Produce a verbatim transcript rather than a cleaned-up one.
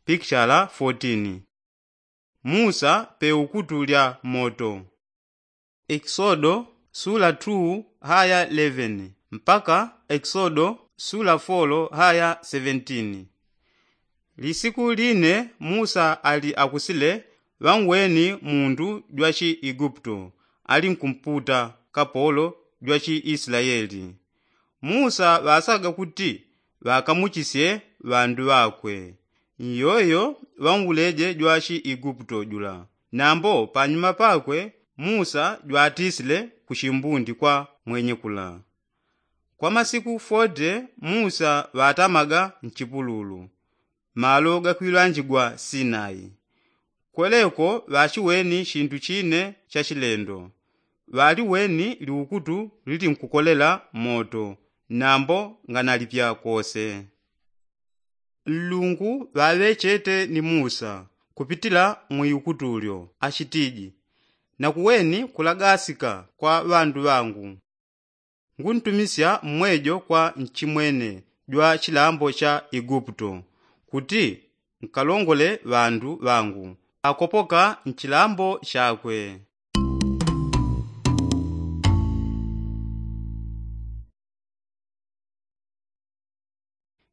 Pikichala fourteen. Musa pe ukutu lya moto. Ekisodo sula two haya eleven mpaka ekisodo sula four haya seventeen. Lisiku line musa ali akusile ŵanweni mundu jwa chiiguputo ali nkumputa kapolo jwa chiisilayeli. Musa ŵasaga kuti ŵakamuchisye ŵandu ŵakwe. Nyoyo ŵanguleje jwa chiiguputo jula. Nambo panyuma pakwe musa jwatisile kuchimbundi kwa mwenye kula. Kwa masiku forty musa ŵatamaga nchipululu malo gakwilwanjigwa sinai. Kweleko ŵachiweni chintu chine cha chilendo. Ŵaliweni liukutu lilinkukolela moto nambo nganalipya kose. Nlungu ŵaŵechete ni musa kupitila mwiukutu lyo achitiji, nakuweni kulagasika kwa ŵandu ŵangu. Nguntumisya mmwejo kwa nchimwene jwa chilambo cha iguputo kuti nkalongole ŵandu ŵangu. Akopoka nchilambo chakwe.